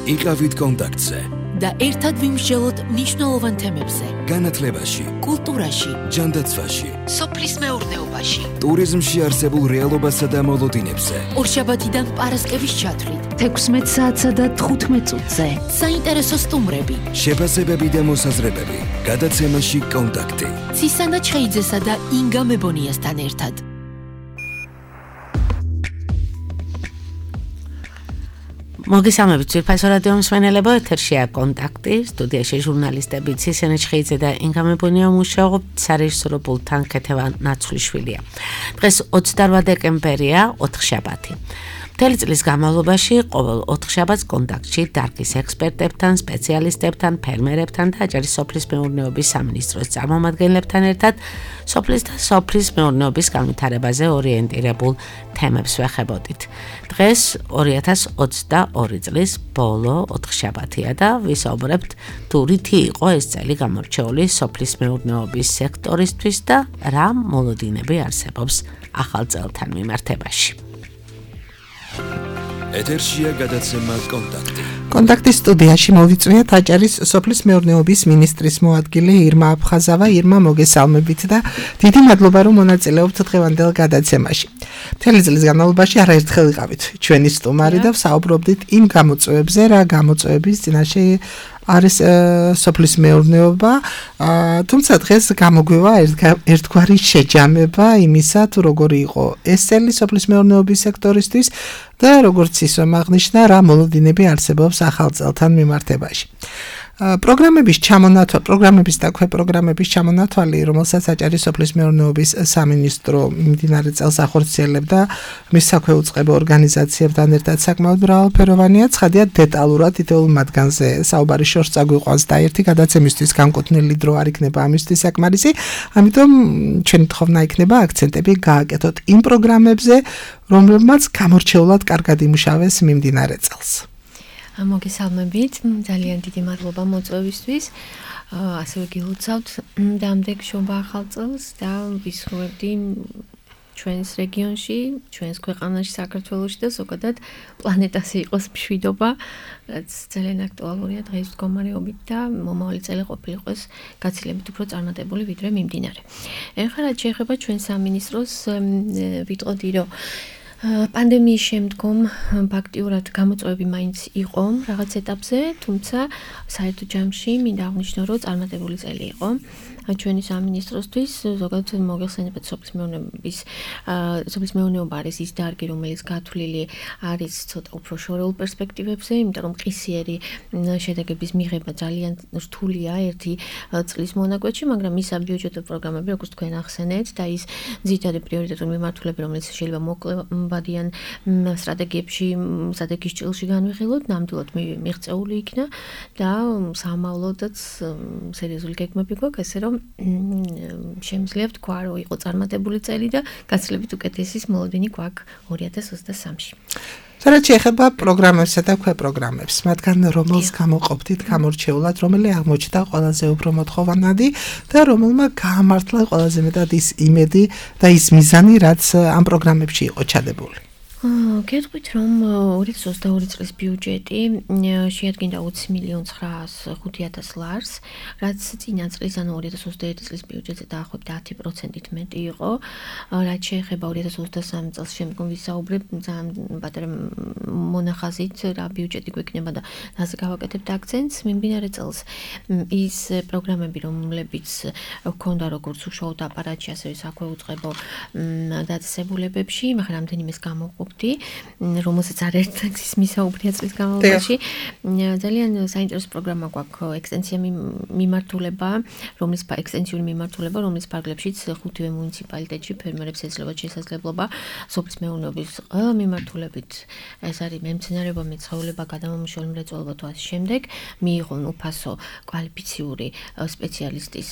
იყავით კონტაქტზე და ერთად ვიმსჯელოთ მნიშვნელოვან თემებზე. განათლებაში, კულტურაში, ჯანდაცვაში, სოფლის მეურნეობაში, ტურიზმში არსებულ რეალობასა და მოლოდინებზე. ორშაბათიდან პარასკევის ჩათვლით 16 საათსა და 15 წუთზე. საინტერესო სტუმრები, შეფასებები და მოსაზრებები. გადაცემაში კონტაქტი. ცისანა ჩხეიძესა და ინგა მებონიასთან ერთად. მოგესალმებით ძვირფასო რადიო მსმენელებო, ეთერშია კონტაქტი, სტუდიაში ჟურნალისტები ცისანა ჩხეიძე და ინგა მებონია მუშაობთ, სარეჟისორო პულტთან ქეთევა ნაცვლიშვილია. დღეს 28 დეკემბერია, ოთხშაბათი. მთელი წლის განმავლობაში ყოველ ოთხშაბათს კონტაქტში დარგის ექსპერტებთან, სპეციალისტებთან, ფერმერებთან და აჭარის სოფლის მეურნეობის სამინისტროს წარმომადგენლებთან ერთად სოფლის და სოფლის მეურნეობის განვითარებაზე ორიენტირებულ თემებს ვეხებოდით. დღეს 2022 წლის ბოლო ოთხშაბათია და ვისაუბრებთ თუ რითი იყო ეს წელი გამორჩეული სოფლის მეურნეობის სექტორისთვის და რა მოლოდინები არსებობს ახალ წელთან მიმართებაში. ეთერშია გადაცემა კონტაქტი. კონტაქტის სტუდიაში მოვიწვიეთ აჭარის სოფლის მეურნეობის მინისტრის მოადგილე ირმა აფხაზავა. ირმა, მოგესალმებით და დიდი მადლობა რომ მონაწილეობთ დღევანდელ გადაცემაში. მთელი წლის განმავლობაში არაერთხელ ვიყავით ჩვენი სტუმარი და ვსაუბრობდით იმ გამოწვევებზე, რა გამოწვევების წინაშე არის სოფლის მეურნეობა, თუმცა დღეს გამოგვივა ერთგვარი შეჯამება იმისა, თუ როგორი იყო ეს წელი სოფლის მეურნეობის სექტორისთვის და როგორც ისევ აღნიშნა, რა მოლოდინები არსებობს ახალ წელთან მიმართებაში. პროგრამების და ქვეპროგრამების ჩამონათვალი, რომელსაც აჭარის სოფლის მეურნეობის სამინისტრო მიმდინარე წელს ახორციელებდა მის საქვეუწყებო ორგანიზაციებთან ერთად საკმაოდ მრავალფეროვანია. ცხადია, დეტალურად იდეალურ მათგანზე საუბარი შორს წაგვიყვანს და ერთი გადაცემისთვის განკუთვნილი დრო არ იქნება ამისთვის საკმარისი. ამიტომ ჩვენი თხოვნა იქნება აქცენტები გააკეთოთ იმ პროგრამებზე, რომლებმაც გამორჩეულად კარგად იმუშავეს მიმდინარე წელს. მოგესალმებით, ძალიან დიდი მადლობა მოწვევისთვის. ასევე გილოცავთ დამდეგ შობა ახალ წელს და ვისურვებდი ჩვენს რეგიონში, ჩვენს ქვეყანაში, საქართველოში და ზოგადად პლანეტაზე იყოს მშვიდობა, რაც ძალიან აქტუალურია დღეს მდგომარეობით და მომავალი წელი ყოფილიყოს გაცილებით უფრო წარმატებული ვიდრე მიმდინარე. ეხლა რაც შეეხება ჩვენ სამინისტროს, ვიტყოდი რომ პანდემიის შემდგომ ფაქტიურად გამოწვევები მაინც იყო რაღაც ეტაპზე, თუმცა საერთო ჯამში მინდა აღნიშნო, რომ წარმატებული წელი იყო ჩვენი სამინისტროსთვის. ზოგადად მოგეხსენებათ სოფლის მეურნეობა არის ის დარგი, რომელიც გათვლილი არის ცოტა უფრო შორეულ პერსპექტივებზე, იმიტომ რომ ყისიერი შედეგების მიღება ძალიან რთულია ერთი წლის მონაკვეთში, მაგრამ ის საბიუჯეტო პროგრამები, როგორც თქვენ ახსენეთ, და ის ძირითადი პრიორიტეტული მიმართულება, რომელიც შეიძლება მოკლებადიან სტრატეგიის ჭრილში განვიხილოთ, ნამდვილად მიღწეული იქნა და სამავლოდაც სერიოზული გეგმები გვაქვს, ესე რომ შემიძლია ვთქვა, რომ იყო წარმატებული წელი და გაცილებით უკეთესი მოლოდინი გვაქვს 2023-ში. რაც შეეხება პროგრამებსა და ქვეპროგრამებს, მათგან რომელს გამოყოფდით გამორჩეულად, რომელი აღმოჩნდა ყველაზე უფრო მოთხოვანადი და რომელმა გაამართლა ყველაზე მეტად ის იმედი და ის მიზანი, რაც ამ პროგრამებში იყო ჩადებული. გეტყვით, რომ 2022 წლის ბიუჯეტი შეადგენდა 20.905.000 ლარს, რაც წინა წლის, ანუ 2021 წლის ბიუჯეტზე დაახლოებით 10%-ით მეტი იყო. რაც შეეხება 2023 წელს შემდგომ ვისაუბრებ ძალიან პატარა მონახაზით რა ბიუჯეტი გვექნება და რაზე გავაკეთებთ აქცენტს. მიმდინარე წელს ის პროგრამები, რომლებიც ჰქონდა როგორც უშუალოდ აპარატში, ასევე საქვეუწყებო დაწესებულებებში, მაგრამ რამდენიმეს გამოვყოფ რომელსაც არაერთგზის მისაუბრია წლის განმავლობაში. ძალიან საინტერესო პროგრამა გვაქვს ექსტენსიური მიმართულება, რომლის ფარგლებშიც 5 მუნიციპალიტეტში ფერმერებს ეძლევათ შესაძლებლობა სოფლის მეურნეობის ყველა მიმართულებით, ეს არის მემცენარეობა, მეცხოველება, გადამამუშავებელი მრეწველობა თუ ასე შემდეგ, მიიღონ უფასო კვალიფიციური სპეციალისტის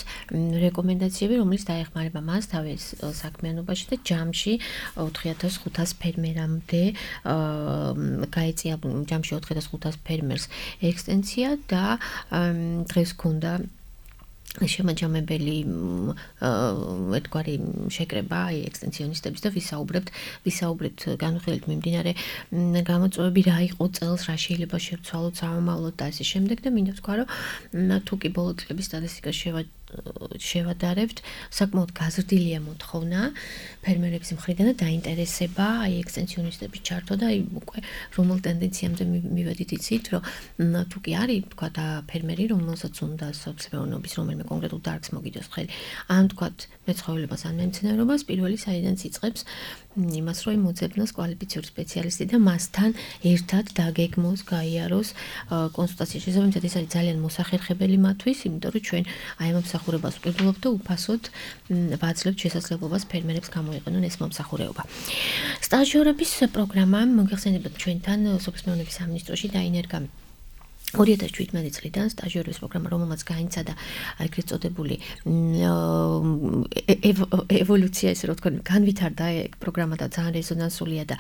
რეკომენდაციები, რომელიც დაეხმარება მას თავის საქმიანობაში და ჯამში 4500 ფერმერამდე გაეწია ჯამში 4500 ფერმერს ექსტენსია და დღეს ქონდა შემაჯამებელი ერთგვარი შეკრება აი ექსტენსიონისტების და ვისაუბრებთ განვიხილეთ მიმდინარე გამოწვევები რა იყო წელს რა შეიძლება შევცვალოთ სამომავლოდ და ასე შემდეგ და მინდა ვთქვა რომ თუ კი ბოლო წლების სტატისტიკას შევადარებთ საკმაოდ გაზრდილია მოთხოვნა ფერმერების მხრიდან და დაინტერესება აი ექსტენსიონისტების ჩართვა და აი უკვე რომელ ტენდენციამდე მივედით იცით რომ თუ კი არის თქვა და ფერმერი რომელსაც უნდა სოფლმეურნეობის რომელიმე კონკრეტულ დარგს მოგიდოს ხელი ან თქვა მეცხოველებას ან მემცენარეობას პირველი საიდან იწყებს იმას რომ მოძებნოს კვალიფიციური სპეციალისტი და მასთან ერთად დაგეგმოს გაიაროს კონსულტაციის შესაბამისად ეს არის ძალიან მოსახერხებელი მათთვის იმიტომ რომ ჩვენ აი ამ მომსახურებას ვყიდულობთ და უფასოდ ვაძლევთ შესაძლებლობას ფერმერებს გამოიყენონ ეს მომსახურება. სტაჟიორების პროგრამა მოგეხსენებათ ჩვენთან სოფლმეურნეობის სამინისტროში დაინერგა 2017 წლიდან სტაჟიორების პროგრამა, რომელმაც გაინცადა ეგრეთ წოდებული ევოლუცია, ესე რომ ვთქვათ, განვითარდა პროგრამა და ძალიან რეზონანსულია და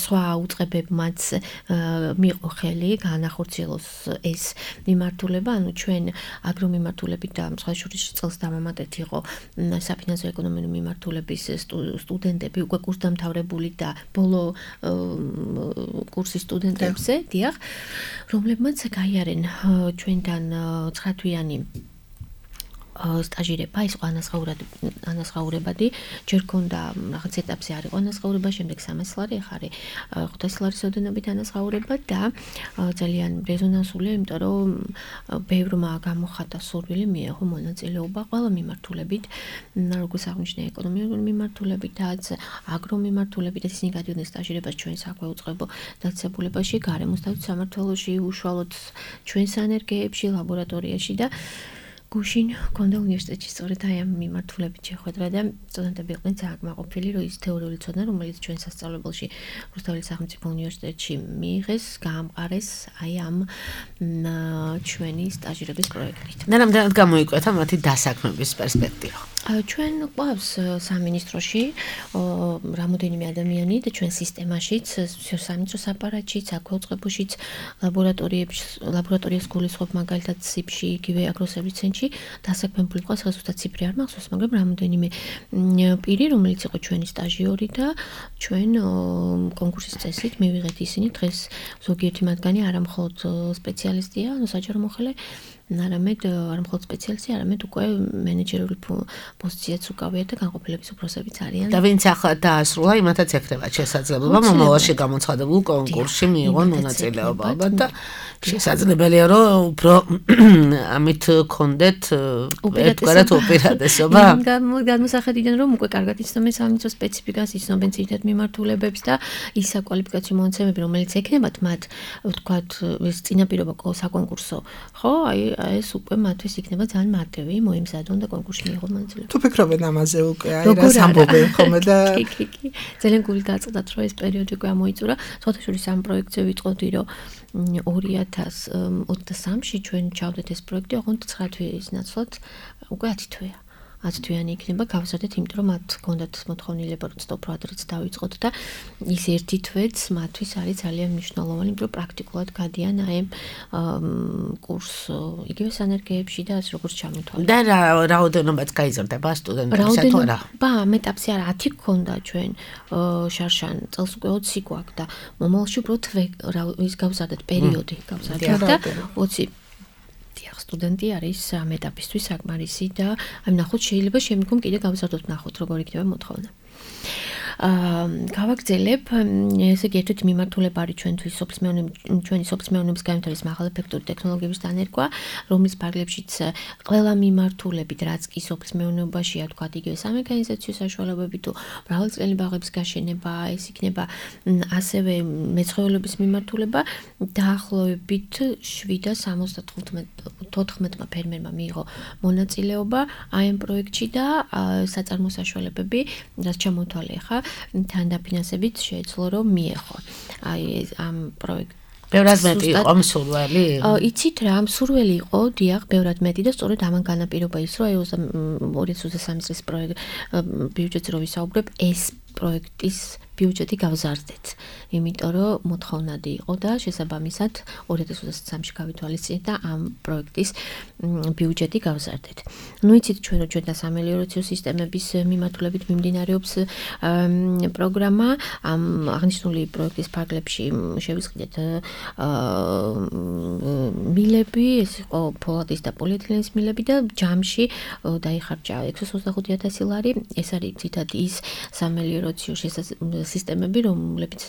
სხვა უწყებებმაც მიიღო ხელი განახორციელოს ეს მიმართულება, ანუ ჩვენ აგრომიმართულებით და სხვა შორის წელს დამამატეთ იყო საფინანსო ეკონომიკური მიმართულების სტუდენტები, უკვე კურსდამთავრებული და ბოლო კურსის სტუდენტებზე, დიახ, რომლებმაც გაიარენ ჩვენთან 9 თვიანი სტაჟირება, ის ანაზღაურებადი, ჯერ ქონდა რაღაც ეტაპზე არის ანაზღაურება, შემდეგ 300 ლარი, ახლა არის 500 ლარის ოდენობით ანაზღაურება და ძალიან რეზონანსულია, იმიტომ რომ ბევრმა გამოხატა სურვილი მიიღო მონაწილეობა ყველა მიმართულებით, როგორც აღნიშნე ეკონომიკური მიმართულებითაც, აგრომიმართულებით, ისინი გადიოდნენ სტაჟირებას ჩვენ საქვეუწყებო დაწესებულებაში, გარემოსდაცვის სამმართველოში, უშუალოდ ჩვენ სანერგეებში, ლაბორატორიაში და გუშინ ქონდა უნივერსიტეტში სწორედ აი ამ მიმართულებით შეხვედრა და სტუდენტები იყვნენ ძალიან კმაყოფილი, რომ ის თეორიული ცოდნა, რომელიც ჩვენ სასწავლებელში რუსთაველის სახელმწიფო უნივერსიტეტში მიიღეს, გაამყარეს აი ამ ჩვენი სტაჟირების პროექტით. და რამდენად გამოიკვეთა მათი დასაქმების პერსპექტივა? ჩვენ გვყავს სამინისტროში რამოდენიმე ადამიანი და ჩვენ სისტემაშიც, სამინისტროს აპარატშიც, საქვეუწყებოშიც, ლაბორატორიას გულისხმობ მაგალითად სიფში, იგივე აგროსერვისის ცენტრში დასაქმებული ყავს, ზუსტად ციფრი არ მახსოვს, მაგრამ რამოდენიმე პირი, რომელიც იყო ჩვენი სტაჟიორი და ჩვენ კონკურსის წესით მივიღეთ ისინი დღეს ზოგიერთი მათგანი არა მხოლოდ სპეციალისტია, ანუ საჯარო მოხელე არამედ არ მხოლოდ სპეციალისტი, არამედ უკვე მენეჯერული პოზიციაც უკავიათ და განყოფილების უფროსებიც არიან. და ვინც ახლა დაასრულა, იმათაც ექნებათ შესაძლებლობა მომავალში გამოცხადებულ კონკურსში მიიღონ მონაწილეობა და შესაძლებელია რომ უფრო ამით გქონდეთ ერთგვარად უპირატესობა. განმოსახედიდან რომ უკვე კარგად იცნობენ სამინისტრო სპეციფიკას, იცნობენ ძირითად მიმართულებებს და ის საკვალიფიკაციო მონაცემები, რომელიც ექნებათ მათ, ვთქვათ, ეს წინაპირობა საკონკურსო, ხო, აი ეს უკვე მათთვის იქნება ძალიან მარტივი მოიმზადონ და კონკურსში მიიღონ მონაწილეობა. თუ ფიქრობენ ამაზე უკვე აი რას ამბობენ ხოლმე და კი. ძალიან გული დაწყდათ რომ ეს პერიოდი უკვე ამოიწურა. სხვათა შორის ამ პროექტზე ვიტყოდი რომ 2023-ში ჩვენ ჩავდეთ ეს პროექტი, ოღონდ 9 თვის ნაცვლად უკვე 10 თვეა. 10 თვიანი იქნება გავზარდეთ, იმიტომ რომ მათ ჰქონდათ მოთხოვნილება რომ stop pro-ადრეც დავიწყოთ და ის ერთი თვეც მათთვის არის ძალიან მნიშვნელოვანი, იმიტომ რომ პრაქტიკულად გადიან აი კურს იგივე სანერგეებში და ასე როგორც ჩამოთვალეთ. და რაოდენობაც გაიზრდება სტუდენტებისა თუ არა? ამ ეტაპზე არა 10 გქონდა ჩვენ შარშან, წელს უკვე 20 გვაქვს და მომავალში უბრალოდ ის გავზარდეთ პერიოდი გავზარდეთ და 20 სტუდენტი არის ამ ეტაპისთვის საკმარისი და აი ნახოთ შეიძლება შემდგომ კიდე გავზარდოთ ნახოთ როგორ იქნება მოთხოვნა. გავაგრძელებ ესე იგი ერთ-ერთი მიმართულება არის ჩვენი სოფლმეურნეობის განვითარების მაღალეფექტური ტექნოლოგიების დანერგვა, რომლის ფარგლებშიც ყველა მიმართულებით, რაც კი სოფლმეურნეობაშია, თქვა იგივე სამექანიზაციო საშუალებები თუ მრავალწლიანი ბაღების გაშენება, ეს იქნება ასევე მეცხოველეობის მიმართულება, დაახლოებით 774 ფერმერმა მიიღო მონაწილეობა აი ამ პროექტში და საწარმო საშუალებები, რაც ჩამოთვალე ხა თან დაფინანსებით შეეძლო რომ მიეღო. აი ამ პროექტ ბევრად მეტი იყო მსურველი? იცით რა, მსურველი იყო, დიახ, ბევრად მეტი და სწორედ ამან განაპირობა ის, რომ 2023 წლის ბიუჯეტზე რო ვისაუბრებ, ეს პროექტის ბიუჯეტი გავზარდეთ. იმიტომ რომ მოთხოვნადი იყო და შესაბამისად 2023-ში გავითვალისწინეთ და ამ პროექტის ბიუჯეტი გავზარდეთ. ნუ იცით ჩვენ რომ ჩვენთან სამელიორაციო სისტემების მიმართულებით მიმდინარეობს პროგრამა ამ აღნიშნული პროექტის ფარგლებში შევისყიდეთ მილები, ეს იყო ფოლადის და პოლიეთილენის მილები და ჯამში დაიხარჯა 625,000 ლარი. ეს არის თითქოს ის სამელიორაციო სისტემები, რომლებიც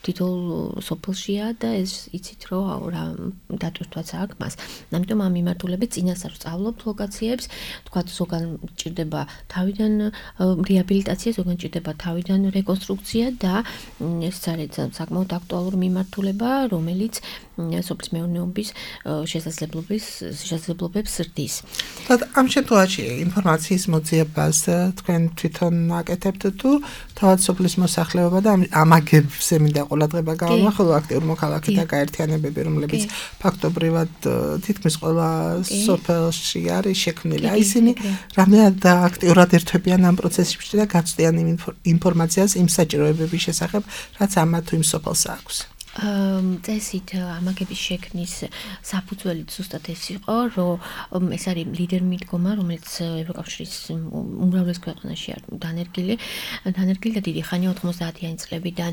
თითოეულ სოფელშია და ეს იცით რომ რა დატვირთვაც აქვს მას. ამიტომ ამ მიმართულებით წინასწარ ვსწავლობთ ლოკაციებს, თქვა ზოგან ჭირდება თავიდან რეაბილიტაცია, ზოგან ჭირდება თავიდან რეკონსტრუქცია და ეს არის საკმაოდ აქტუალური მიმართულება, რომელიც სოფლის მეურნეობის შესაძლებლობებს ზრდის. ამ შემთხვევაში ინფორმაციის მოძიებას თქვენ თვითონ აკეთებთ თუ თავად სოფლის მოსახლეობა და ამაგებზე მინდა ყოლადღება გავამახვილო, ხოლო აქტიურ მოქალაქეთა გაერთიანებები, რომლებიც ფაქტობრივად თითქმის ყველა სოფელში არის შექმნილი. აი ისინი რამდენად აქტიურად ერთვებიან ამ პროცესში და გაცდიან ინფორმაციას იმ საჭიროებების შესახებ, რაც ამა თუ იმ სოფელს აქვს. წესით ამაგების შექმნის საფუძველი ზუსტად ეს იყო, რომ ეს არის ლიდერ მიდგომა, რომელიც ევროკავშირის უმრავლეს ქვეყანაში არის დანერგილი და დიდი ხანია 90-იანი წლებიდან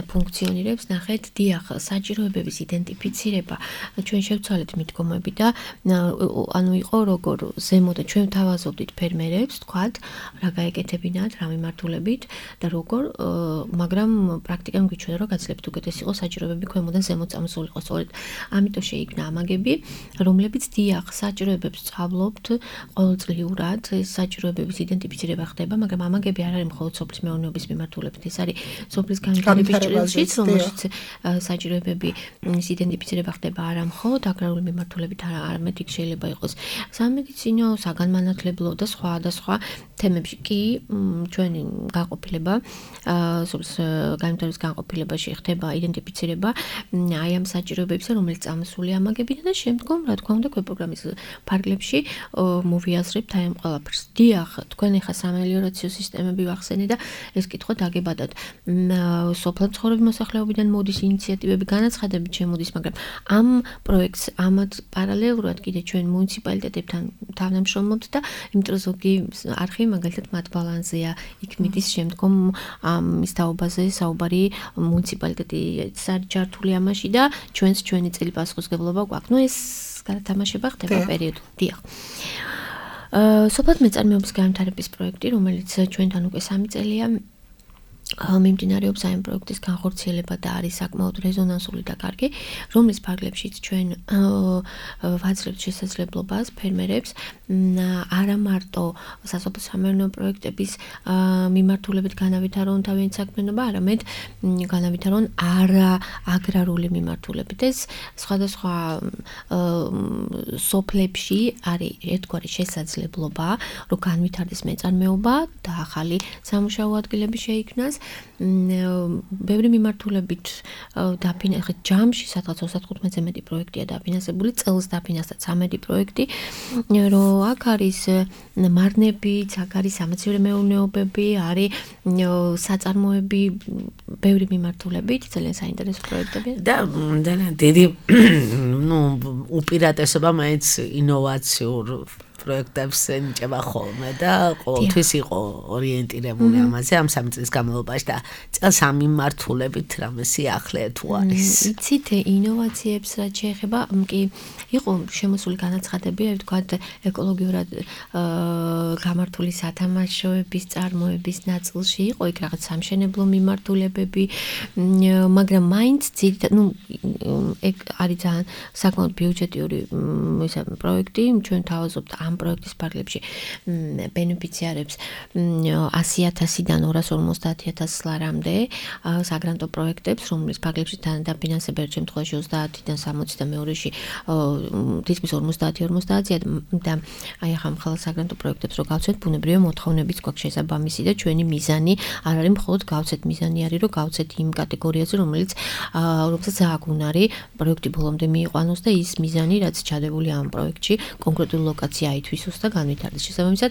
ფუნქციონირებს. ნახეთ, დიახ, საჭიროებების იდენტიფიცირება ჩვენ შევცვალეთ მიდგომები და ანუ იყო როგორ ზემოდან ჩვენ ვთავაზობდით ფერმერებს, თქვათ, რა გაეკეთებინათ, რა მიმართულებით და როგორ, მაგრამ პრაქტიკამ გვიჩვენა, რომ გაძლიერებთ უკეთესი იყო საჭიროებები ქვემოდან ზემოთ წამოსულიყო. სწორედ ამიტომ შეიქმნა ამაგები, რომლებიც დიახ საჭიროებებს სწავლობთ ყოველწლიურად, ეს საჭიროებების იდენტიფიცირება ხდება, მაგრამ ამაგები არ არის მხოლოდ სოფლის მეურნეობის მიმართულებით, ეს არის სოფლის განვითარების ჭრილშიც, რომელშიც საჭიროებების იდენტიფიცირება ხდება არა მხოლოდ აგრარული მიმართულებით, არამედ იქ შეიძლება იყოს სამედიცინო, საგანმანათლებლო და სხვა თემებში კი ჩვენი განყოფილება სოფლის განვითარების განყოფილებაში ხდება იდენტიფიცირება აი ამ საჭიროებებისა, რომელიც წამოსული ამაგებიდან და შემდგომ, რა თქმა უნდა, პროგრამის ფარგლებში მოვიაზრებთ აი ამ ყველაფერს. დიახ, თქვენ ახლა სამელიორაციო სისტემები ვახსენე და ეს კითხვა დაგებადათ. სოფლად მცხოვრები მოსახლეობიდან მოდის ინიციატივები, განაცხადებით შემოდის, მაგრამ ამ პროექტს ამათ პარალელურად კიდე ჩვენ მუნიციპალიტეტებთან თანამშრომლობთ და იმიტომ ზოგი არხი მაგალითად მათ ბალანსია, იქ მიდის შემდგომ ამის თაობაზე საუბარი მუნიციპალიტეტი არის ჩართული ამაში და ჩვენი წელი პასუხისმგებლობა გვაქვს. ნუ ეს გადათამაშება ხდება პერიოდულად. დიახ. სოფლად მეწარმეობის განვითარების პროექტი, რომელიც ჩვენთან უკვე 3 წელია მიმდინარეობს ამ პროექტის განხორციელება და არის საკმაოდ რეზონანსული და კარგი, რომლის ფარგლებშიც ჩვენ ვაძლევთ შესაძლებლობას ფერმერებს არა მარტო სასოფლო სამეურნეო პროექტების მიმართულებით განავითარონ თავიანთი საქმიანობა, არამედ განავითარონ არააგრარული მიმართულებით. ეს სხვადასხვა სოფლებში არის ერთგვარი შესაძლებლობა, რომ განვითარდეს მეწარმეობა და ახალი სამუშაო ადგილები შეიქმნას. ბევრი მიმართულებით დაფინანსდა ჯამში სადღაც 35-ზე მეტი პროექტია დაფინანსებული, წელს დაფინანსდა 13 პროექტი, რომ აქ არის მარნებიც, აქ არის სამეცნიერო მეურნეობები, არის საწარმოები, ბევრი მიმართულებით, ძალიან საინტერესო პროექტები და ძალიან დიდი უპირატესობა მაინც ინოვაციურ პროექტებს ენიჭება ხოლმე და ყოველთვის იყო ორიენტირებული ამაზე ამ 3 წლის განმავლობაში და წელს ამ მიმართულებით რამე სიახლე თუ არის. იცით, ინოვაციებს რაც შეეხება, კი იყო შემოსული განაცხადები, ვთქვათ, ეკოლოგიურად გამართული სათამაშოების წარმოების ნაწილში იყო იქ რაღაც სამშენებლო მიმართულებები, მაგრამ მაინც ეგ არის ძალიან საკმაოდ ბიუჯეტიური პროექტი, ჩვენ თავაზობთ ამ პროექტის ფარგლებში ბენეფიციარებს 100,000-დან 250,000 ლარამდე საგრანტო პროექტებს, რომლის ფარგლებში დაფინანსება ერთ შემთხვევაში 30-დან 60 და მეორეში თითქმის 50-50-ია და აი ახლა მხოლოდ საგრანტო პროექტებს რო გავცეთ, ბუნებრივია მოთხოვნებიც გვაქვს შესაბამისი და ჩვენი მიზანი არ არის მხოლოდ გავცეთ, მიზანი არის რომ გავცეთ იმ კატეგორიაზე, რომელსაც აღუნარი პროექტი ბოლომდე მიიყვანოს და ის მიზანი, რაც ჩადებული ამ პროექტში კონკრეტული ლოკაცია გაითვისოს და განვითარდეს. შესაბამისად,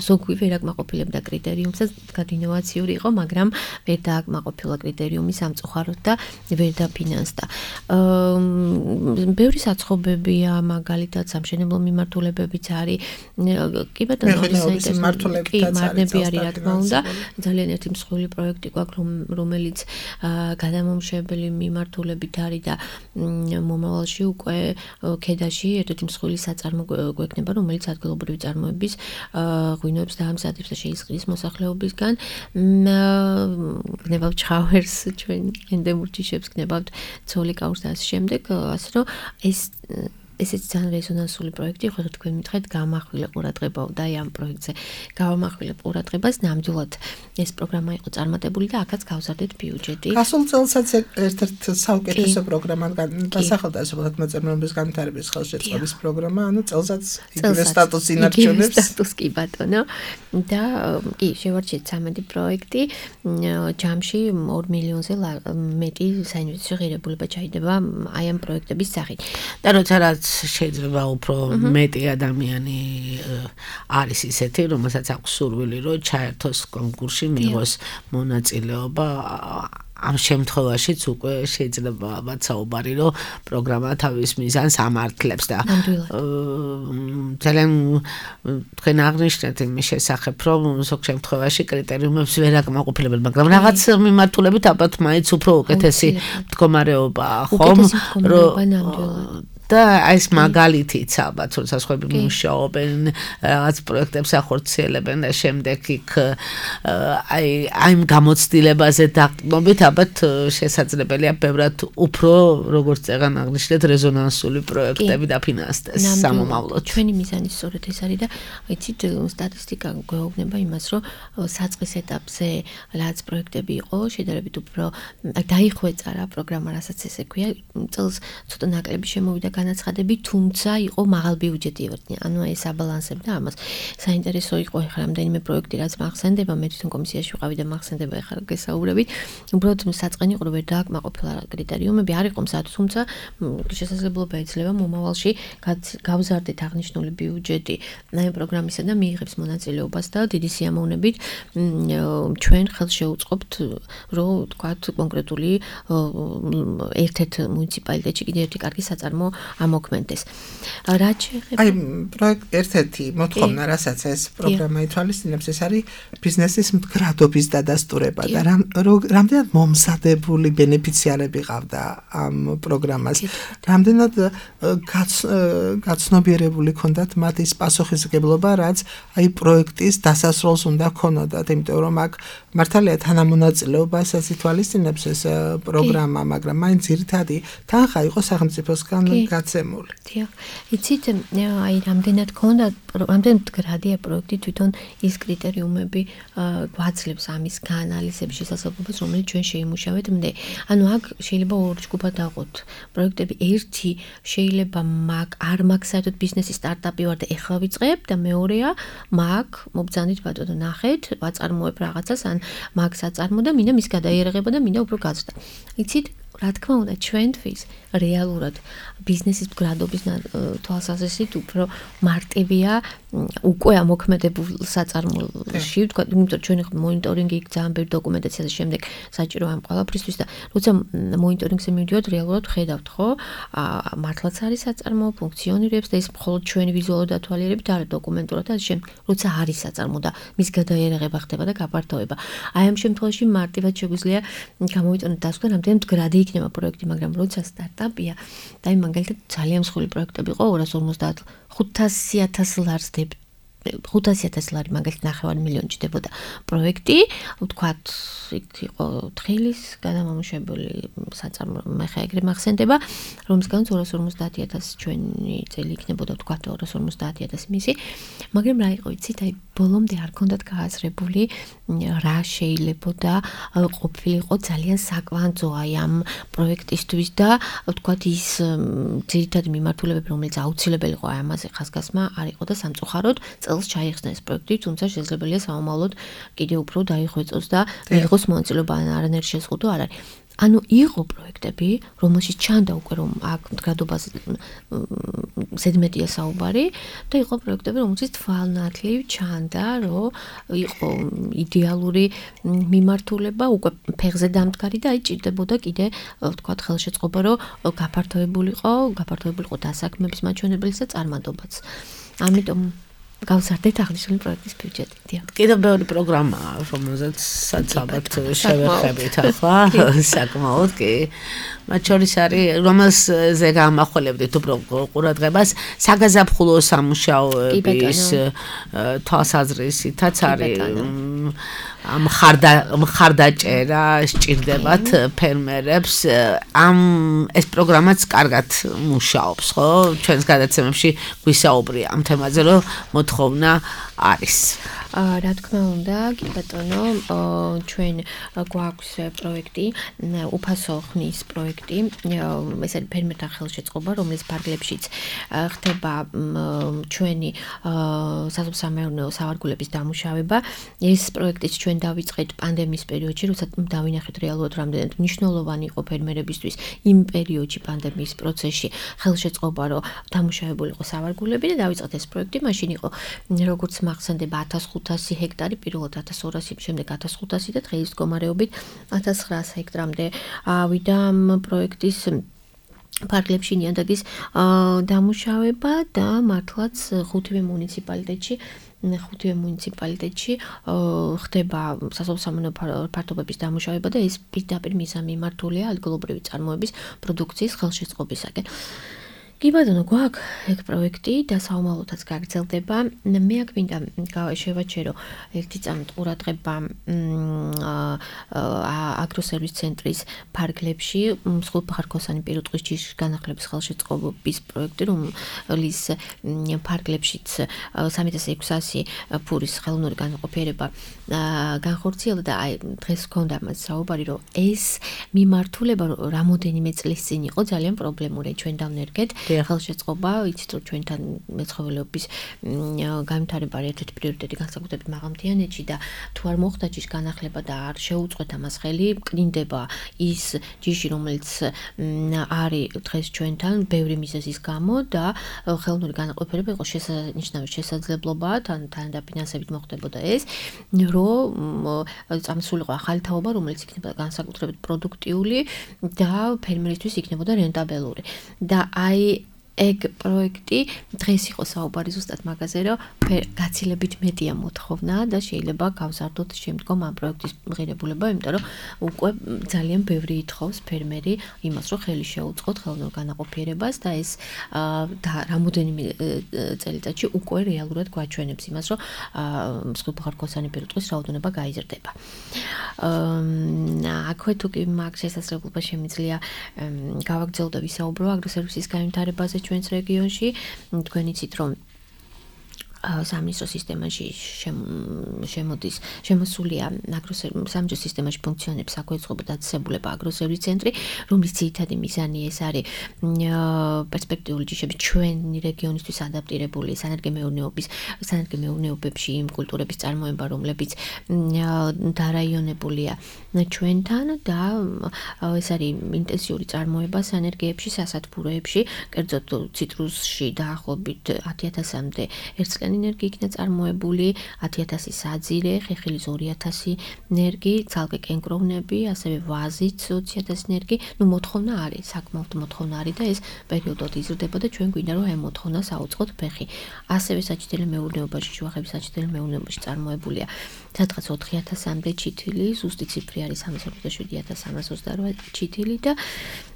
ზოგი ვერ აკმაყოფილებდა კრიტერიუმსაც, ინოვაციური იყო, მაგრამ ვერ დააკმაყოფილა კრიტერიუმი სამწუხაროდ და ვერ დაფინანსდა. ბევრი საცხობებია, მაგალითად, სამშენებლო მიმართულებებიც არის. კი ბატონო, მართლები არის, რა თქმა უნდა. ძალიან ერთი მსხვილი პროექტი გვაქვს, რომელიც გადამამუშავებელი მიმართულებით არის და მომავალში უკვე ქედაში ერთ-ერთი მსხვილი საწარმო გვექნება, რომელიც ადგილობრივი წარმოების ღვინოებს დაამზადებს და შეისყიდის მოსახლეობისგან. გნებავთ ჩხავერს, ჩვენ ენდემურ ჯიშებს გნებავთ ცოლიკაურს და ასე შემდეგ, ასე რომ ესეც ძალიან რეზონანსული პროექტი, ხო თქვენ მითხრეთ, გამახვილე ყურადღება და აი ამ პროექტზე გამახვილე ყურადღებას ნამდვილად ეს პროგრამა იყო წარმატებული და აქაც გავზარდეთ ბიუჯეტი. გასულ წელსაც ერთ-ერთ საუკეთესო პროგრამა დასახელდა სოფლის მოწარმოების განვითარების ხელშეწყობის პროგრამა, ანუ წელსაც იგივე სტატუსი ინარჩუნებს. სტატუს კი ბატონო. და კი, შევარჩიეთ 13 პროექტი, ჯამში 2 მილიონზე მეტი საინვესტიციო ღირებულება ჩაიდება აი ამ პროექტების სახით. და როცა რაც შეიძლება უფრო მეტი ადამიანი არის ისეთი, რომელსაც აქვს სურვილი, რომ ჩაერთოს კონკურსში, მიიღოს მონაწილეობა. ამ შემთხვევაშიც უკვე შეიძლება ალბათ საუბარი, რომ პროგრამა თავის მიზანს ამართლებს და ძალიან თქვენ აღნიშნეთ იმის შესახებ, რომ ზოგ შემთხვევაში კრიტერიუმებს ვერ აკმაყოფილებენ, მაგრამ რაღაც მიმართულებით ალბათ მაინც უფრო უკეთესი მდგომარეობაა, ხომ? და ეს მაგალითიც ალბათ, როცა სხვები მუშაობენ, რაღაც პროექტებს ახორციელებენ და შემდეგ იქ აი ამ გამოცდილებაზე დაყრდნობით ალბათ შესაძლებელია ბევრად უფრო, როგორც წეგან აღნიშნეთ, რეზონანსული პროექტები დაფინანსდეს სამომავლოდ. ჩვენი მიზანი სწორედ ეს არის და იცით, სტატისტიკა გვეუბნება იმას, რომ საწყის ეტაპზე რაც პროექტები იყო, შედარებით უფრო დაიხვეწა რა პროგრამა, რასაც ესე ქვია, წელს ცოტა ნაკლები შემოვიდა განაცხადები, თუმცა იყო მაღალ ბიუჯეტი ევერტნი. ანუ ეს აბალანსებდა ამას. საინტერესო იყო ეხლა რამდენიმე პროექტი, რაც მახსენდება, მე თვითონ კომისიაში ვიყავი და მახსენდება ეხლა გესაუბრებით. უბრალოდ საწყენი იყო, რომ ვერ დააკმაყოფილა კრიტერიუმები, არ იყო მზად, თუმცა შესაძლებლობა ეძლევა მომავალში გავზარდეთ აღნიშნული ბიუჯეტი ამ პროგრამისა და მიიღებს მონაწილეობას და დიდი სიამოვნებით ჩვენ ხელს შეუწყობთ, რომ თქვათ კონკრეტული ერთ-ერთ მუნიციპალიტეტში კიდევ ერთი კარგი საწარმო ამოქმედდეს. რაც შეეხება აი პროექტ ერთ-ერთი მოთხოვნა, რასაც ეს პროგრამა ითვალისწინებს, ეს არის ბიზნესის მდგრადობის დადასტურება და რამდენად მომზადებული ბენეფიციარები ყავდა ამ პროგრამას. რამდენად გაცნობიერებული ქონდათ მათ ის პასუხისმგებლობა, რაც აი პროექტის დასასრულს უნდა ქონოდათ, იმიტომ რომ აქ მართალია თანამონაწილეობასაც ითვალისწინებს ეს პროგრამა, მაგრამ მაინც ძირითადი თანხა იყო სახელმწიფოსგან გაცემული. დიახ. იცით, აი რამდენად მდგრადია პროექტი, თვითონ ის კრიტერიუმები გვაძლევს ამის გაანალიზების შესაძლებლობას, რომელიც ჩვენ შეიმუშავეთ მდე. ანუ აქ შეიძლება ორი ჯგუფად დავყოთ. პროექტები ერთი შეიძლება არ მაქვს საერთოდ ბიზნესის სტარტაპი ვარ და ეხლა ვიწყებ და მეორეა მაგ მობძანით ბატონო ნახეთ, ვაწარმოებ რაღაცას ან მაგ საწარმო და მინდა მის გადაიერაღება და მინდა უფრო გაზრდა. იცით, რა თქმა უნდა, ჩვენთვის რეალურად ბიზნესის მდგრადობის თვალსაზრისით უფრო მარტივია უკვე ამოქმედებულ საწარმოში, თქვა, იმიტომ ჩვენ ხო მონიტორინგი იქ ძალიან ბევრი დოკუმენტაცია და შემდეგ საჭირო ამ ყველაფრისთვის და როცა მონიტორინგზე მივიდივართ, რეალურად ხედავთ, ხო? მართლაც არის საწარმო, ფუნქციონირებს და ეს მხოლოდ ჩვენი ვიზუალური დათვალიერებით არა დოკუმენტურად და შემდეგ როცა არის საწარმო და მის გადაიერაღება ხდება და გაფართოება. აი ამ შემთხვევაში მარტივად შეგვიძლია გამოვიტანოთ დასკვნა, რამდენი მდგრადი იქნება პროექტი, მაგრამ როცა სტარტაპია და აი მაგალითად ძალიან მსხვილი პროექტები იყო 250 500,000 ლარს 500,000 ლარი მაგალითად 9 მილიონი ჭდებოდა პროექტი, ვთქვათ, იქ იყო თხილის გადამამუშავებელი საწარმო, მე ხა ეგრე მახსენდება, რომისგან 250,000 ჩვენი წელი იქნებოდა, ვთქვათ, 250,000 მისი, მაგრამ რა იყო, იცით, აი ბოლომდე არ ქონდათ გააზრებული რა შეიძლებოდა ყოფილიყო ძალიან საკვანძო აი ამ პროექტისთვის და ვთქვათ ის ძირითადი მიმართულებები, რომელიც აუცილებელი იყო აი ამაზე ხაზგასმა არ იყო და სამწუხაროდ წელს ჩაიხსნა ეს პროექტი, თუმცა შესაძლებელია სამომავლოდ კიდევ უფრო დაიხვეწოს და მიიღოს მონაწილეობა, არანაირი შეზღუდვა არ არის. ანუ იყო პროექტები, რომელშიც ჩანდა უკვე რომ აქ მდგრადობაზე ზედმეტია საუბარი და იყო პროექტები, რომელშიც თვალნათლივ ჩანდა, რომ იყო იდეალური მიმართულება, უკვე ფეხზე დამდგარი და აი ჭირდებოდა კიდე ვთქვათ ხელშეწყობა, რომ გაფართოებულიყო დასაქმების მაჩვენებელიც და წარმატებაც. ამიტომ გავზარდეთ აღნიშნული პროექტის ბიუჯეტი. კიდევ ბევრი პროგრამაა, რომელზეც ალბათ შევეხებით ახლა, საკმაოდ კი. მათ შორის არის, რომელზე გამახველებდით უფრო ყურადღებას, საგაზაფხულო სამუშაოების თვალსაზრისითაც არის მხარდაჭერა სჭირდებათ ფერმერებს. ეს პროგრამაც კარგად მუშაობს, ხო? ჩვენს გადაცემებში გვისაუბრია ამ თემაზე, რომ მოთხოვნა არის. რა თქმა უნდა, კი ბატონო, ჩვენ გვაქვს პროექტი, უფასო ხნის პროექტი, ეს არის ფერმერთა ხელშეწყობა, რომლის ფარგლებშიც ხდება ჩვენი სასოფლო-სამეურნეო სავარგულების დამუშავება. ეს პროექტიც ჩვენ დავიწყეთ პანდემიის პერიოდში, როდესაც დავინახეთ რეალურად რამდენად მნიშვნელოვანი იყო ფერმერებისთვის იმ პერიოდში პანდემიის პროცესში ხელშეწყობა, რომ დამუშავებული იყო სავარგულები და დავიწყეთ ეს პროექტი. მაშინ იყო როგორც მახსენდება 1500 ჰექტარი, პირველად 1200, შემდეგ 1500 და დღეის მდგომარეობით 1900 ჰექტრამდე ავიდა ამ პროექტის ფარგლებში ნიადაგის დამუშავება და მართლაც ხუთივე მუნიციპალიტეტში ხდება სასოფლო-სამეურნეო ფართობების დამუშავება და ეს პირდაპირ მიზანმიმართულია ადგილობრივი წარმოების პროდუქციის ხელშეწყობისაკენ. კი ბატონო, გვაქვს ეგ პროექტი და საომალოთაც გაგრძელდება. მე აქ მინდა შევაჩერო ერთი წამით ყურადღება აგროსერვის ცენტრის ფარგლებში მსხვილფეხარქოსანი პირუტყვის ჯიშის განახლების ხელშეწყობის პროექტი, რომლის ფარგლებშიც 3600 ფურის ხელოვნური განაყოფიერება განხორციელდა და აი დღეს გქონდა მას საუბარი, რომ ეს მიმართულება რამოდენიმე წლის წინ იყო ძალიან პრობლემური. ჩვენ დავნერგეთ ხელშეწყობა, იცით რომ ჩვენთან მეცხოველეობის განვითარება არის ერთ-ერთი პრიორიტეტი განსაკუთრებით მაღალმთიანეთში და თუ არ მოხდა ჯიშის განახლება და არ შეუწყვეთ ამას ხელი, კნინდება ის ჯიში, რომელიც არის დღეს ჩვენთან ბევრი მიზეზის გამო და ხელოვნური განაყოფიერება იყო შესანიშნავი შესაძლებლობა, თან დაფინანსებით მოხდებოდა ეს, რომ წამსულიყო ახალი თაობა, რომელიც იქნება განსაკუთრებით პროდუქტიული და ფერმერისთვის იქნებოდა რენტაბელური. და აი ეგ პროექტი დღეს იყო საუბარი ზუსტად მაგაზე, რომ გაცილებით მეტია მოთხოვნა და შეიძლება გავზარდოთ შემდგომ ამ პროექტის მიღებულება, იმიტომ რომ უკვე ძალიან ბევრი ითხოვს ფერმერი იმას, რომ ხელი შეუწყოთ ხელოვნურ განაყოფიერებას და ეს რამოდენიმე წელიწადში უკვე რეალურად გვაჩვენებს იმას, რომ მსხვილფეხარქოსანი პირუტყვის რაოდენობა გაიზრდება. აქვე თუ კი მაგ შესაძლებლობა შემიძლია გავაგრძელო და ვისაუბრო აგროსერვისის განვითარებაზე ჩვენს რეგიონში. თქვენ იცით, რომ სამინისტრო სისტემაში შემოსულია სამინისტრო სისტემაში ფუნქციონებს საქვეითხოვო დაწესებულება აგროსერვის ცენტრი, რომლის ძირითადი მიზანი ეს არის პერსპექტიული ჯიშების ჩვენი რეგიონისთვის ადაპტირებული სანერგემეურნეობებში იმ კულტურების წარმოება, რომლებიც დარაიონებულია ჩვენთან და ეს არის ინტენსიური წარმოება სანერგეებში, სასათბუროებში, კერძოდ ციტრუსში დაახლოებით 10000-მდე ერთწლიანი ენერგი იქნა წარმოებული, 10000 საძირე, ხეხილის 2000 ენერგი, ცალკე კენკროვნები, ასევე ვაზიც 20000 ენერგი. მოთხოვნა არის, საკმაოდ მოთხოვნა არის და ეს პერიოდულად იზრდება და ჩვენ გვინდა რომ ამ მოთხოვნას აუწყოთ ფეხი. ასევე საჭიდელი მეურნეობაში, შუახების საჭიდელი მეურნეობაში წარმოებულია სადღაც 4000-მდე ჩითილი, ზუსტი ციფრი არის 347.328 ჩითილი და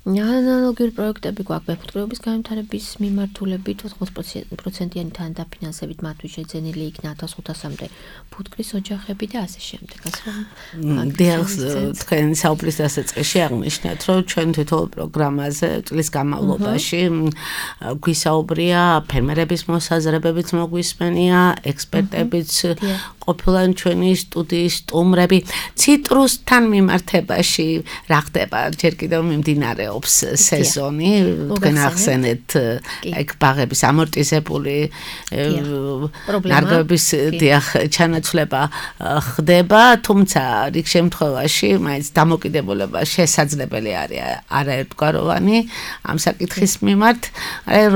ანალოგიური პროექტები გვაქვს მეფუტკრეობის განვითარების მიმართულებით 80%-იანი თანდაფინანსებით მათთვის შეძენილი იქნა 1500-მდე ფუტკრის ოჯახები და ასე შემდეგ. თქვენ საუბრის დასაწყისში აღნიშნეთ, რომ ჩვენ თვითონ პროგრამაზე წლის განმავლობაში გვისაუბრია ფერმერების მოსაზრებებიც მოგვისმენია, ექსპერტებიც ყოფილან ჩვენი სტუდიის სტუმრები. ციტრუსთან მიმართებაში რა ხდება? ჯერ კიდევ მიმდინარეობს სეზონი, თქვენ ახსენეთ ეგ ბაღების ამორტიზებული ნარგავების ჩანაცვლება ხდება, თუმცა რიგ შემთხვევაში მაინც დამოკიდებულება შესაძლებელი არის არაერთგვაროვანი ამ საკითხის მიმართ.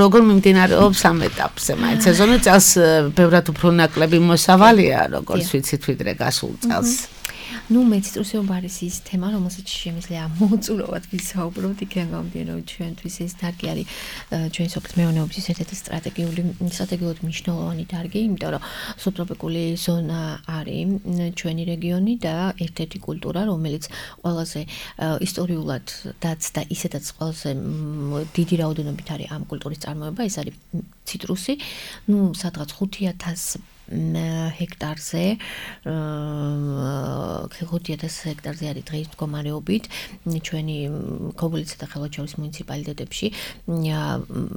როგორ მიმდინარეობს ამ ეტაპზე? მაინც სეზონი წელს ბევრად უფრო ნაკლები მოსავალია, როგორც ვიცით, ვიდრე გასულ წელს. ნუ მეციტრუსეობა არის ის თემა, რომელსაც შემიძლია მოუწურავად ვისაუბროთ, იქიდან გამომდინარე, რომ ჩვენთვის ეს დარგი არის ჩვენი სოფლის მეურნეობის ერთ-ერთი სტრატეგიულად მნიშვნელოვანი დარგი, იმიტომ რომ სუბტროპიკული ზონა არის ჩვენი რეგიონი და ერთ-ერთი კულტურა, რომელიც ყველაზე ისტორიულადაც და ისედაც ყველაზე დიდი რაოდენობით არის ამ კულტურის წარმოება, ეს არის ციტრუსი, ნუ სადღაც 5,000 ჰექტარზე 5,000 ჰექტარზე არის დღის მდგომარეობით ჩვენი ქობულისა და ხელვაჩაურის მუნიციპალიტეტებში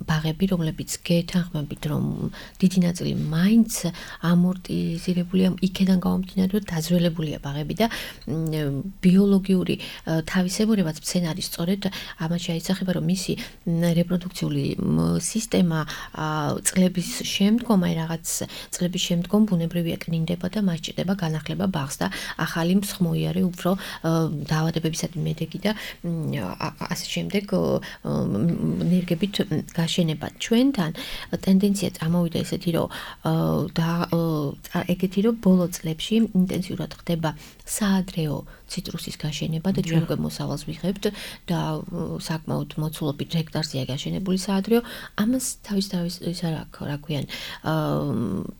ბაღები, რომლებიც გეთანხმებით, რომ დიდი ნაწილი მაინც ამორტიზირებულია, იქიდან გამომდინარე, რომ დაზველებულია ბაღები და ბიოლოგიური თავისებურებაც მცენარის სწორედ ამაში აისახება, რომ მისი რეპროდუქციული სისტემა წლების შემდგომ აი რაღაც წლების შემდგომ ბუნებრივია კნინდება და მას ჭირდება განახლება ბაღს და ახალი მსხმოიარე უფრო დაავადებებისადმი მედეგი და ასე შემდეგ ნერგებით გაშენება. ჩვენთან ტენდენცია წამოვიდა ესეთი, რომ ეგეთი რომ ბოლო წლებში ინტენსიურად ხდება საადრეო ციტრუსის გაშენება და ჩვენ უკვე მოსავალს ვიღებთ და საკმაოდ მოცულობით ჰექტარზეა გაშენებული საადრეო. ამას თავის ის რა ქვიან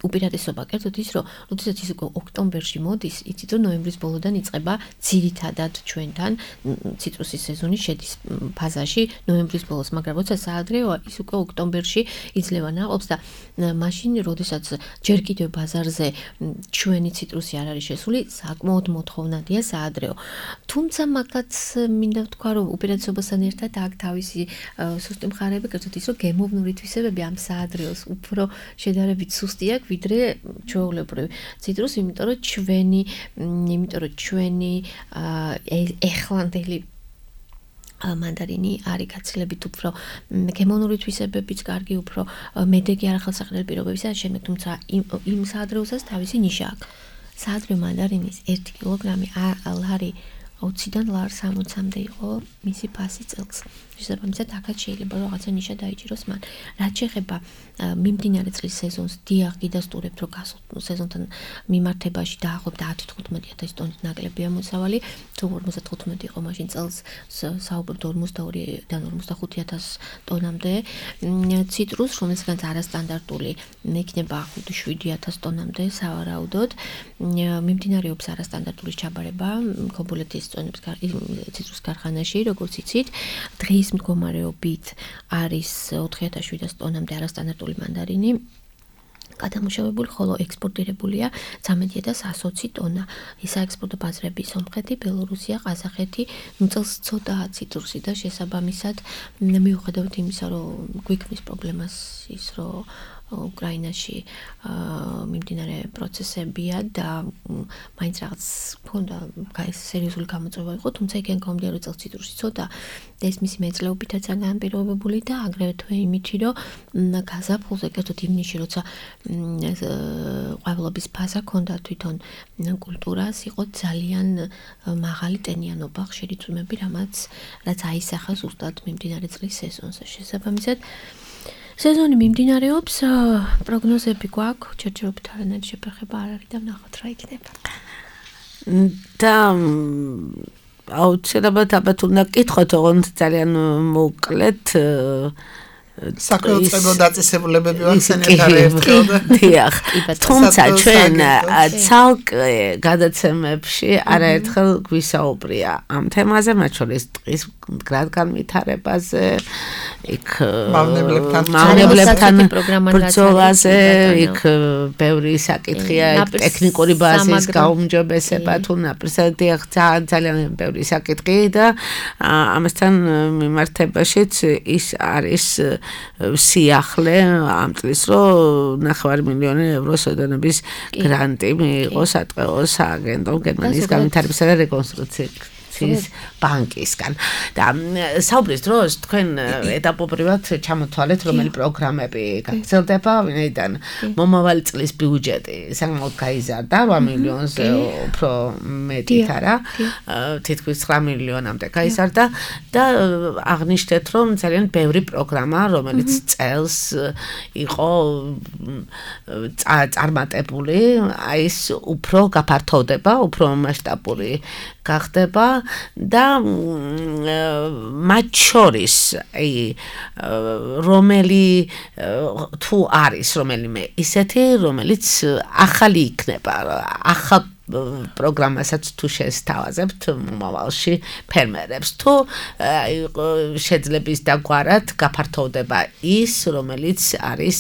უპირატესობა კერძოდ ის, რომ როდესაც ის უკვე ოქტომბერში მოდის, იცით რომ ნოემბრის ბოლოდან იწყება ძირითადად ჩვენთან ციტრუსის სეზონი შედის ფაზაში ნოემბრის ბოლოს, მაგრამ როცა საადრეოა, ის უკვე ოქტომბერში იძლევა ნაყოფს და მაშინ როდესაც ჯერ კიდევ ბაზარზე ჩვენი ციტრუსი არ არის შესული, საკმაოდ მოთხოვნადია საადრეო. თუმცა მაგაც მინდა ვთქვა, რომ უპირატესობასთან ერთად აქ თავისი სუსტი მხარეები, კერძოდ ის, რომ გემოვნური თვისებები ამ საადრეოს უფრო შედარებით სუსტი აქვს, ვიდრე ჩვეულებრივი ციტრუსი, იმიტომ რომ ჩვენი ეხლანდელი მანდარინი არის გაცილებით უფრო გემოვნური თვისებებით კარგი, უფრო მედეგი არახელსაყრელი პირობებისა, შემდეგ თუმცა იმ საადრეოსაც თავისი ნიშა აქვს. საადრეო მანდარინის 1 კილოგრამი ლარი 20-დან ლარ 60-მდე იყო მისი ფასი წელს. შესაბამისად, აქაც შეიძლება რომ რაღაცა ნიშა დაიჭიროს მან. რაც შეეხება მიმდინარე წლის სეზონს, დიახ, გიდასტურებთ, რომ გასულ სეზონთან მიმართებაში დაახლოებით 10-15,000 ტონით ნაკლებია მოსავალი. თუ 55 იყო მაშინ წელს საუბრობთ 42-დან 45,000 ტონამდე ციტრუს, რომელსაც არასტანდარტული იქნება 5-7,000 ტონამდე სავარაუდოდ. მიმდინარეობს არასტანდარტული ჩაბარება ქობულეთის ციტრუს ქარხანაში, როგორც იცით, დღის მდგომარეობით არის 4,700 ტონამდე არასტანდარტული მანდარინი გადამუშავებული, ხოლო ექსპორტირებულია 13,120 ტონა. ისაექსპორტო ბაზრები სომხეთი, ბელორუსია, ყაზახეთი, წელს ცოტაა ციტრუსი და შესაბამისად მიუხედავად იმისა, რომ გვიქმნის პრობლემას ის, რომ უკრაინაში მიმდინარე პროცესებია და მაინც რაღაც მქონდა სერიოზული გამოწვევა იყო, თუმცა იქიდან გამომდინარე, რომ წელს ციტრუსი ცოტა და ეს მისი მეწლეობითაც განპირობებული და აგრეთვე იმითი, რომ გაზაფხულზე კერძოდ ივნისში, როცა ყვავილობის ფაზა ჰქონდა თვითონ კულტურას, იყო ძალიან მაღალი ტენიანობა, ხშირი წვიმები, რაც აისახა ზუსტად მიმდინარე წლის სეზონზე. შესაბამისად, სეზონი მიმდინარეობს, პროგნოზები გვაქვს, ჩერჩერობით არანაირი შეფერხება არ არის და ვნახოთ რა იქნება. და აუცილებლად ალბათ უნდა გკითხოთ, ოღონდ ძალიან მოკლედ საქმეოწყებო დაწესებულებები ვახსენეთ არაერთხელ და დიახ. თუმცა ჩვენ ცალკე გადაცემებში არაერთხელ გვისაუბრია ამ თემაზე, მათ შორის დღის მდგრად განვითარებაზე, იქ მავნებლებთან ბრძოლაზე, იქ ბევრი საკითხია, ტექნიკური ბაზის გაუმჯობესება თუ ნაპირსა, დიახ, ძალიან ბევრი საკითხი და ამასთან მიმართებაშიც ის არის სიახლე ამ წლის, რომ 9 მილიონი ევროს ოდენობის გრანტი მიიღო სატყეო სააგენტომ გერმანიის განვითარებისა და რეკონსტრუქციის ინვესტიციის ბანკისგან. და საუბრის დროს თქვენ ეტაპობრივად ჩამოთვალეთ, რომელი პროგრამები გაგრძელდება, ვინაიდან მომავალი წლის ბიუჯეტი საკმაოდ გაიზარდა 8 მილიონზე უფრო მეტით არა, თითქმის 9 მილიონამდე გაიზარდა და აღნიშნეთ, რომ ძალიან ბევრი პროგრამა, რომელიც წელს იყო წარმატებული, აი ეს უფრო გაფართოვდება, უფრო მასშტაბური გახდება და მათ შორის აი რომელი თუ არის რომელიმე ისეთი, რომელიც ახალი იქნება, ახალ პროგრამასაც თუ შესთავაზებთ მომავალში ფერმერებს, თუ შეძლების დაგვარად გაფართოვდება ის, რომელიც არის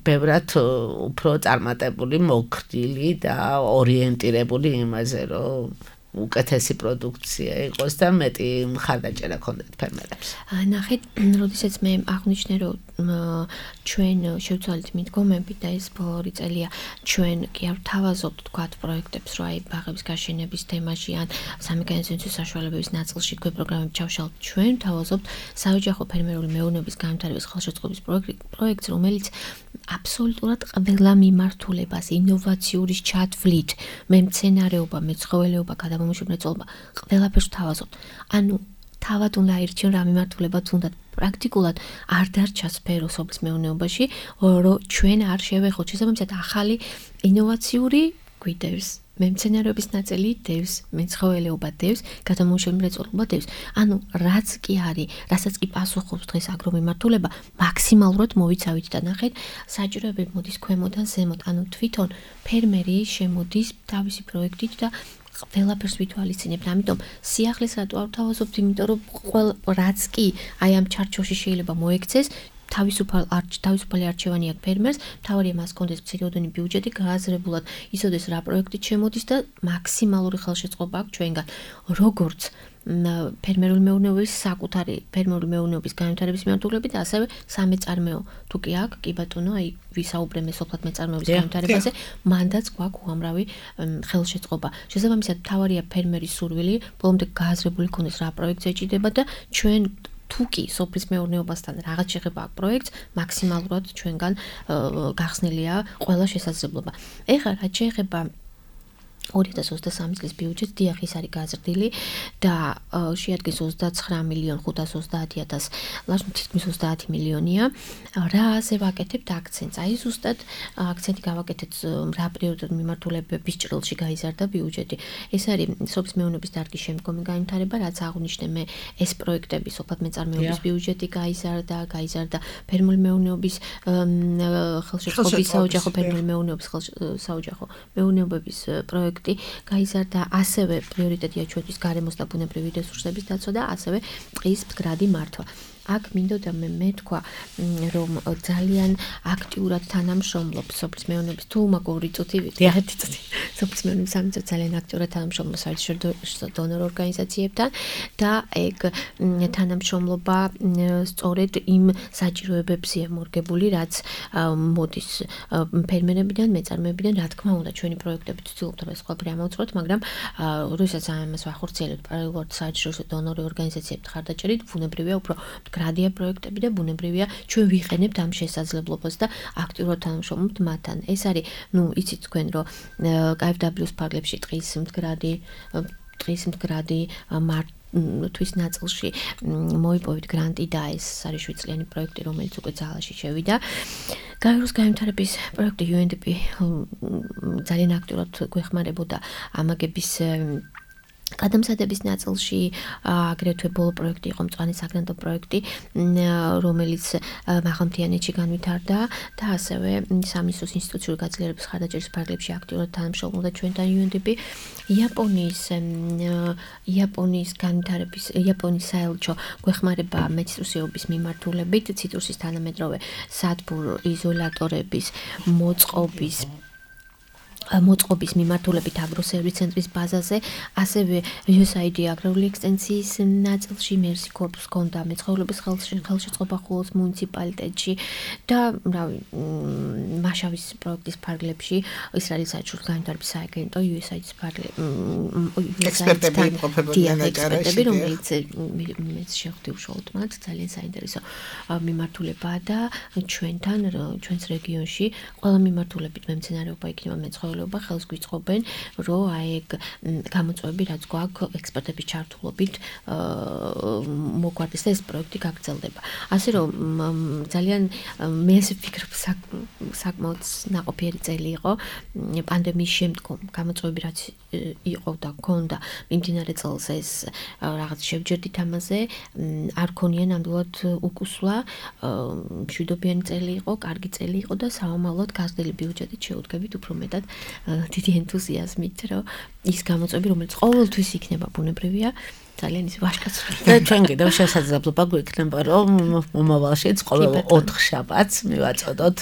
ბევრად უფრო წარმატებული, მოკრდილი და ორიენტირებული იმაზე, რომ უკეთესი პროდუქცია იყოს და მეტი მხარდაჭერა ქონდეთ ფერმერებს. ნახეთ, როდესაც მე აღნიშნე, რომ ჩვენ შევცვალეთ მიდგომები და ეს ბოლო წელია ჩვენ კი არ ვთავაზობთ თქვათ პროექტებს, რომ აი ბაღების გაშენების თემაში ან სამექანიზმო საშუალებების ნაწილში თქვენ პროგრამები ჩავშალთ. ჩვენ ვთავაზობთ საოჯახო ფერმერული მეურნეობის განვითარების ხელშეწყობის პროექტს, რომელიც აბსოლუტურად ყველა მიმართულებას ინოვაციური ჩათვლით, მემცენარეობა, მეცხოველეობა, გადამამუშავებელი მრეწველობა ყველაფერს ვთავაზობთ. ანუ თავად უნდა აირჩიონ რა მიმართულებაც უნდა პრაქტიკულად არ დარჩა სფერო სოფლის მეურნეობაში, რომ ჩვენ არ შევეხოთ შესაბამისად ახალი ინოვაციური გვიდევს. მემცენარეობის ნაწილი დევს, მეცხოველეობა დევს, გადამამუშავებელი მრეწველობა დევს. ანუ რაც კი არის, რასაც კი პასუხობს დღეს აგრომიმართულება, მაქსიმალურად მოვიცავით და ნახეთ, საჭიროებები მოდის ქვემოდან ზემოთ. ანუ თვითონ ფერმერი შემოდის თავისი პროექტით და ყველაფერს ვითვალისწინებთ. ამიტომ სიახლეს რატო არ ვთავაზობთ, იმიტომ რომ რაც კი აი ამ ჩარჩოში შეიძლება მოექცეს, თავისუფალი არჩევანი აქვს ფერმერს, მთავარია მას კონდეს მცირეოდენი ბიუჯეტი, გააზრებულად იცოდეს რა პროექტით შემოდის და მაქსიმალური ხელშეწყობა აქვს ჩვენგან. როგორც ფერმერული მეურნეობის საკუთარი ფერმერული მეურნეობის განვითარების მიმართულებით და ასევე სამეწარმეო თუ კი აქვს, კი ბატონო, აი ვისაუბრებთ სოფლად მეწარმეობის განვითარებაზე, მანდაც გვაქვს უამრავი ხელშეწყობა. შესაბამისად, მთავარია ფერმერის სურვილი, ბოლომდე გააზრებული ქონდეს რა პროექტს ეჭიდება და ჩვენ თუკი სოფლის მეურნეობასთან რაღაც შეხება აქვს პროექტს, მაქსიმალურად ჩვენგან გახსნილია ყველა შესაძლებლობა. ეხლა რაც შეეხება 2023 წლის ბიუჯეტს, დიახ, ის არის გაზრდილი და შეადგენს 29.530.000, ლაშნ თითქმის 30 მილიონია. რა ასე ვაკეთებთ აქცენტს? აი ზუსტად აქცენტი გავაკეთეთ რა პრიორიტეტ მიმართულებების ჭრილში გაიზარდა ბიუჯეტი. ეს არის სოფლის მეურნეობის დარგის შემდგომი განვითარება, რაც აღნიშნე მე, ეს პროექტები სოფლად მეწარმეობის ბიუჯეტი გაიზარდა ფერმერული მეურნეობის ხელშეწყობის საოჯახო ფერმერული მეურნეობის საოჯახო მეურნეობების პროექტი გაიზარდა, ასევე პრიორიტეტია ჩვენთვის გარემოს და ბუნებრივი რესურსების დაცვა და ასევე ტყის მდგრადი მართვა. აქ მინდოდა მე თქვა, რომ ძალიან აქტიურად თანამშრომლობს სოფლის მეურნეობის თუ მაგორი წუთი სოფლის მეურნეობის სამინისტრო ძალიან აქტიურად თანამშრომლობს საერთაშორისო დონორ ორგანიზაციებთან და ეგ თანამშრომლობა სწორედ იმ საჭიროებებზეა მორგებული, რაც მოდის ფერმერებიდან, მეწარმეებიდან, რა თქმა უნდა, ჩვენი პროექტები ვცდილობთ ეს ყველაფერი ამოვწყვეტ, მაგრამ როდესაც ამას ვახორციელებთ პარალელურად საერთაშორისო დონორი ორგანიზაციებთან ხარდაჭერით, ბუნებრივია უფრო გრადია პროექტები და ბუნებრივია ჩვენ ვიყენებთ ამ შესაძლებლობას და აქტიურად თანამშრომლობთ მათთან. ეს არის, იცით თქვენ, რომ KfW-ს ფარგლებში ტყის მდგრადი თვის ნაწილში მოიპოვეთ გრანტი და ეს არის 7 წლიანი პროექტი, რომელიც უკვე ძალაში შევიდა. გაეროს განვითარების პროექტი UNDP ძალიან აქტიურად გვეხმარებოდა ამაგების გადამზადების ნაწილში, აგრეთვე ბოლო პროექტი იყო მწვანე საგრანტო პროექტი, რომელიც მაღალმთიანეთში განვითარდა და ასევე სამინისტროს ინსტიტუციური გაძლიერების ხარდაჭერის ფარგლებში აქტიურად თანამშრომლობდა ჩვენთან UNDP. იაპონიის საელჩო გვეხმარება მეციტრუსეობის მიმართულებით, ციტრუსის თანამედროვე სადგურ იზოლატორების მოწყობის მოწყობის მიმართულებით აგროსერვის ცენტრის ბაზაზე, ასევე USAID აგრარული ექსტენსიის ნაწილში მერსი კორპუსს ჰქონდა მეცხოველების ხელშეწყობა ხოლოს მუნიციპალიტეტში და მაშავის პროექტის ფარგლებში ისრაელის საერთაშორისო განვითარების სააგენტო USAID-ის ექსპერტები იმყოფებოდნენ აჭარაში, რომელიც მეც შეხვდი უშუალოდ მათ, ძალიან საინტერესო მიმართულებაა და ჩვენს რეგიონში ყველა მიმართულებით მემცენარეობა იქნება მეცხოველეობა ხელს გვიწყობენ, რომ აი ეგ გამოწვევები რაც გვაქვს ექსპერტების ჩართულობით მოგვარდეს და ეს პროექტი გაგრძელდება. ასე რომ ძალიან მე ასე ვფიქრობ საკმაოდ ნაყოფიერი წელი იყო პანდემიის შემდგომ გამოწვევები რაც იყო და ქონდა მიმდინარე წელს ეს რაღაც შევჯერდით ამაზე არ ქონია ნამდვილად უკუსვლა მშვიდობიანი წელი იყო, კარგი წელი იყო და საომალოდ გაზრდილი ბიუჯეტით შეუდგებით უფრო მეტად დიდი ენთუზიაზმით, რომ ის გამოწვევები, რომელიც ყოველთვის იქნება ბუნებრივია, ძალიან ის ვაშკაცრული. და ჩვენ კიდევ შესაძლებლობა გვექნება, რომ მომავალშიც ყოველ 4 შაბათს მივაწოდოთ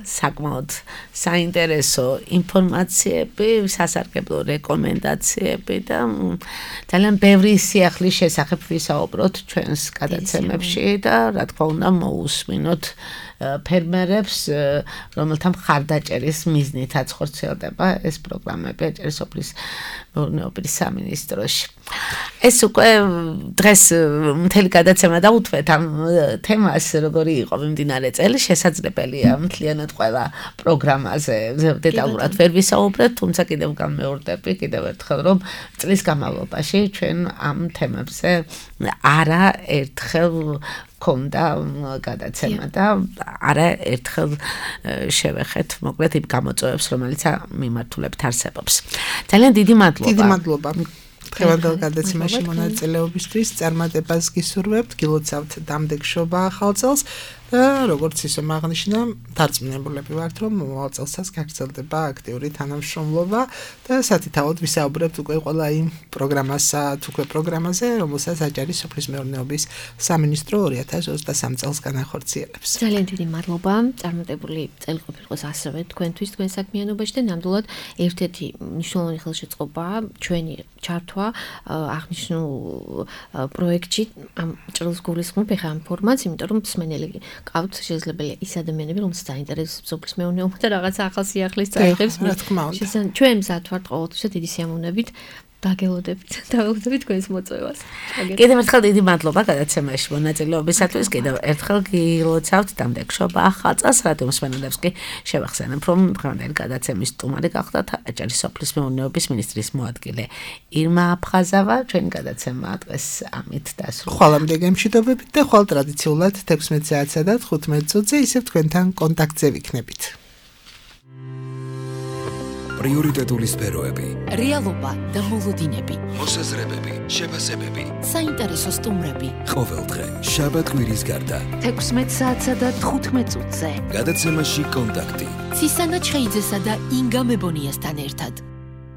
საკმაოდ საინტერესო ინფორმაციები, სასარგებლო რეკომენდაციები და ძალიან ბევრი სიახლის შესახებ ვისაუბროთ ჩვენს გადაცემებში და რა თქმა უნდა მოусმინოთ ფერმერებს, რომელთა მხარდაჭერის მიზნითაც ხორციელდება ეს პროგრამები აჭარის სოფლის მეურნეობის სამინისტროში. ეს უკვე დღეს მთელი გადაცემა დაუთმეთ ამ თემას, როგორი იყო მიმდინარე წელი, შესაძლებელია მთლიანად ყველა პროგრამაზე დეტალურად ვერ ვისაუბრეთ, თუმცა კიდევ გამეორდები კიდევ ერთხელ, რომ წლის განმავლობაში ჩვენ ამ თემებზე არა ერთხელ ქონდა გადაცემა და არა ერთხელ შევეხეთ მოკლედ იმ გამოწვევებს, რომელიც მიმართულებით არსებობს. ძალიან დიდი მადლობა. დიდი მადლობა. დღევანდელ გადაცემაში მონაწილეობისთვის წარმატებას გისურვებთ, გილოცავთ დამდეგშობა ახალ წელს და როგორც ისე აღნიშნა, დარწმუნებულები ვართ, რომ მომავალ წელსაც გაგრძელდება აქტიური თანამშრომლობა და სათითაოდ ვისაუბრებთ უკვე ყველა იმ პროგრამაზე, რომელსაც აჭარის სოფლის მეურნეობის სამინისტრო 2023 წელს განახორციელებს. ძალიან დიდი მადლობა. წარმატებული წელი ყოფილიყო ასევე თქვენთვის, თქვენ საქმიანობაში და ნამდვილად ერთ-ერთი მნიშვნელოვანი ხელშეწყობაა ჩვენი ჩართვა აღნიშნულ პროექტში ამ ჭრილს გულისხმობ ახლა ამ ფორმატს, იმიტომ რომ მსმენელი ყავთ შესაძლებელია ის ადამიანები, რომელსაც დაინტერესებს სოფლის მეურნეობა და რაღაც ახალ სიახლის წაიღებს. ჩვენ მზად ვართ ყოველთვის დიდი სიამოვნებით დაგელოდებით თქვენს მოწვევას. კიდევ ერთხელ დიდი მადლობა გადაცემაში მონაწილეობისათვის. კიდევ ერთხელ გილოცავთ დამდეგშობა ახალ წელს. რადიო მსმენელებს კი შევახსენებ, რომ დღევანდელი გადაცემის სტუმარი გახდათ აჭარის სოფლის მეურნეობის მინისტრის მოადგილე ირმა აფხაზავა. ჩვენი გადაცემა დღეს ამით დასრულდა. ხვალამდე გემშვიდობებით და ხვალ ტრადიციულად 16 საათსა და 15 წუთზე ისევ თქვენთან კონტაქტზე ვიქნებით. პრიორიტეტული სფეროები, რეალობა და მოლოდინები, მოსაზრებები, შეფასებები, საინტერესო სტუმრები. ყოველდღე შაბათ-კვირის გარდა 16 საათსა და 15 წუთზე. გადაცემაში კონტაქტი. ცისანა ჩხეიძესა და ინგა მებონიასთან ერთად.